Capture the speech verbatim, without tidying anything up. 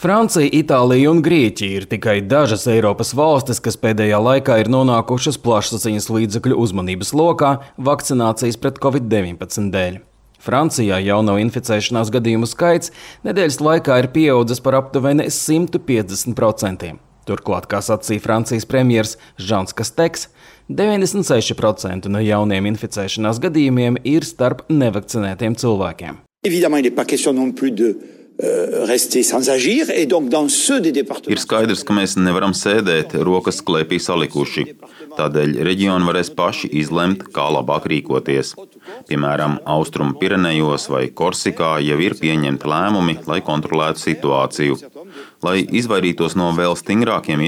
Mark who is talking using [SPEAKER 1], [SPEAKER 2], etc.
[SPEAKER 1] Francija, Itālija un Grieķija ir tikai dažas Eiropas valstis, kas pēdējā laikā ir nonākušas plašsaziņas līdzekļu uzmanības lokā vakcinācijas pret covid deviņpadsmit dēļ. Francijā jauno inficēšanās gadījumu skaits nedēļas laikā ir pieaudzis par aptuveni simt piecdesmit procentiem. Turklāt, kā sacīja Francijas premjers Žans Kasteks, deviņdesmit seši procenti no jauniem inficēšanās gadījumiem ir starp nevakcinētiem cilvēkiem.
[SPEAKER 2] Évidemment, il n'est pas question non plus de rester sans agir, et donc dans ceux des départements.
[SPEAKER 3] Ir skaidrs, ka mēs nevaram sēdēt rokas klēpī salikuši. Tādēļ reģioni varēs paši izlemt, kā labāk rīkoties. Piemēram, Austrumu Pirenejos vai Korsikā jau ir pieņemti lēmumi, lai kontrolētu situāciju. Lai izvairītos no vēl stingrākiem